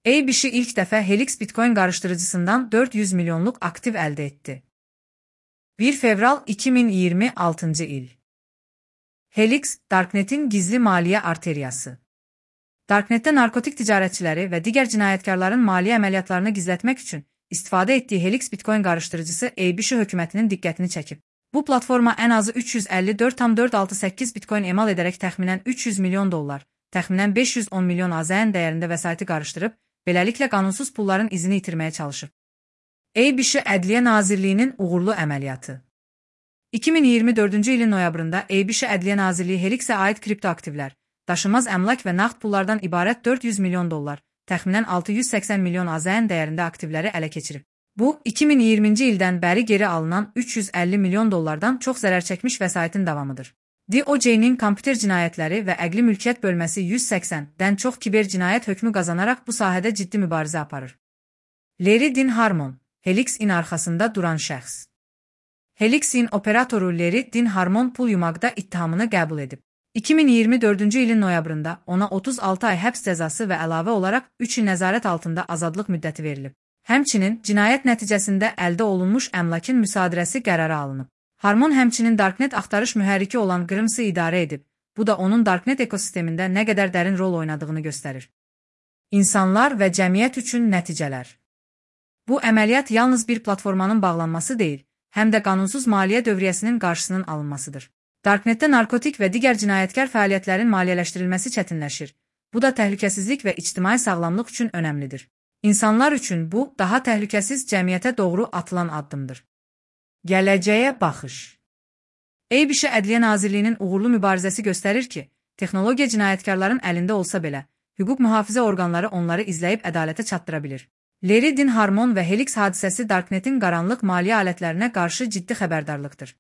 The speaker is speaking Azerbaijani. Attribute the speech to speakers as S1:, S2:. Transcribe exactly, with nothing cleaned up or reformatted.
S1: A B S ilk dəfə Helix Bitcoin qarışdırıcısından dörd yüz milyonluq aktiv əldə etdi. bir fevral iki min iyirmi altıncı il. Helix, Darknet'in gizli maliyyə arteriyası. Darknetdə narkotik ticarətçiləri və digər cinayətkarların maliyyə əməliyyatlarını gizlətmək üçün istifadə etdiyi Helix Bitcoin qarışdırıcısı A B S hökumətinin diqqətini çəkib. Bu platforma ən azı üç yüz əlli dörd tam dörd altı səkkiz Bitcoin emal edərək təxminən üç yüz milyon dollar, təxminən beş yüz on milyon AZN dəyərində vəsaiti qarışdırıb, beləliklə qanunsuz pulların izini itirməyə çalışıb. A B S Ədliyyə Nazirliyinin uğurlu əməliyyatı. iki min iyirmi dördüncü ilin noyabrında A B S Ədliyyə Nazirliyi Helixə aid kriptoaktivlər, daşınmaz əmlak və nağd pullardan ibarət dörd yüz milyon dollar, təxminən altı yüz səksən milyon AZN dəyərində aktivləri ələ keçirib. Bu, iki min iyirminci ildən bəri geri alınan üç yüz əlli milyon dollardan çox zərər çəkmiş vəsaitin davamıdır. D O J'nin kompüter cinayətləri və əqli mülkiyyət bölməsi yüz səksəndən çox kiber cinayət hökmü qazanaraq bu sahədə ciddi mübarizə aparır. Larry Din Harmon, Helix-in arxasında duran şəxs. Helix-in operatoru Larry Din Harmon pul yumaqda ittihamını qəbul edib. iki min iyirmi dördüncü ilin noyabrında ona otuz altı ay həbs cəzası və əlavə olaraq üç il nəzarət altında azadlıq müddəti verilib. Həmçinin cinayət nəticəsində əldə olunmuş əmlakın müsadirəsi qərara alınıb. Harmon həmçinin Darknet axtarış mühərriki olan Grims'ı idarə edib. Bu da onun Darknet ekosistemində nə qədər dərin rol oynadığını göstərir. İnsanlar və cəmiyyət üçün nəticələr. Bu əməliyyat yalnız bir platformanın bağlanması deyil, həm də qanunsuz maliyyə dövriyyəsinin qarşısının alınmasıdır. Darknetdə narkotik və digər cinayətkar fəaliyyətlərin maliyyələşdirilməsi çətinləşir. Bu da təhlükəsizlik və ictimai sağlamlıq üçün önəmlidir. İnsanlar üçün bu, daha təhlükəsiz cəmiyyətə doğru atılan addımdır. Gələcəyə baxış. A B S Ədliyyə Nazirliyinin uğurlu mübarizəsi göstərir ki, texnologiya cinayətkarların əlində olsa belə, hüquq mühafizə orqanları onları izləyib ədalətə çatdıra bilir. Larry Din Harmon və Helix hadisəsi Darknetin qaranlıq maliyyə alətlərinə qarşı ciddi xəbərdarlıqdır.